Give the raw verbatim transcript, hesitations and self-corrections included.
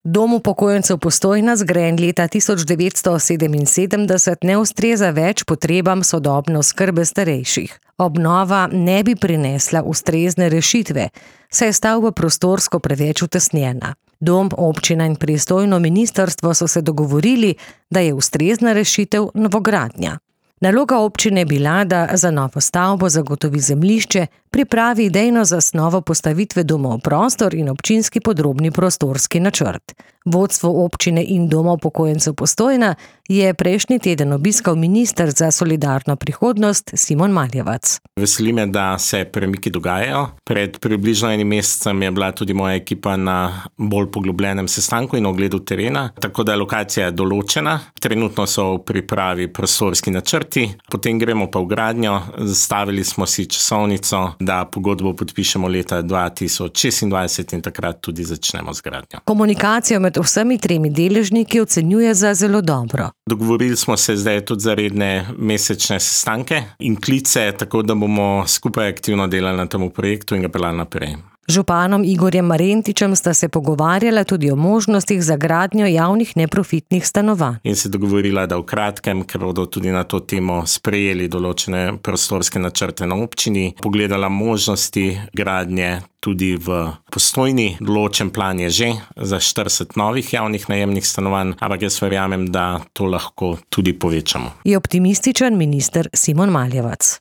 Dom upokojencev Postojna, zgrajen leta tisoč devetsto sedeminsedemdeset, ne ustreza več potrebam sodobne oskrbe starejših. Obnova ne bi prinesla ustrezne rešitve, saj je stavba prostorsko preveč utesnjena. Dom, občina in pristojno ministrstvo so se dogovorili, da je ustrezna rešitev novogradnja. Naloga občine je bila, da za novo stavbo zagotovi zemljišče, pripravi idejno zasnovo postavitve doma v prostor in občinski podrobni prostorski načrt. Vodstvo občine in Doma upokojencev Postojna je prejšnji teden obiskal minister za solidarno prihodnost Simon Maljevac. Veseli me, da se premiki dogajajo. Pred približno enim mesecem je bila tudi moja ekipa na bolj poglobljenem sestanku in ogledu terena, tako da je lokacija določena. Trenutno so v pripravi prostorski načrti, potem gremo pa v gradnjo. Zastavili smo si časovnico, da pogodbo podpišemo leta dva tisoč šestindvajset in takrat tudi začnemo z gradnjo. Komunikacijo med vsemi tremi deležniki ocenjuje za zelo dobro. Dogovorili smo se zdaj tudi za redne mesečne sestanke in klice, tako da bomo skupaj aktivno delali na tem projektu in ga peljali naprej. Županom Igorjem Marentičem sta se pogovarjala tudi o možnostih za gradnjo javnih neprofitnih stanovanj. In se dogovorila, da v kratkem, ker bodo tudi na to temo sprejeli določene prostorske načrte na občini, pogledala možnosti gradnje tudi v Postojni. Določen plan je že za štirideset novih javnih najemnih stanovanj, ampak jaz verjamem, da to lahko tudi povečamo. Je optimističen minister Simon Maljevac.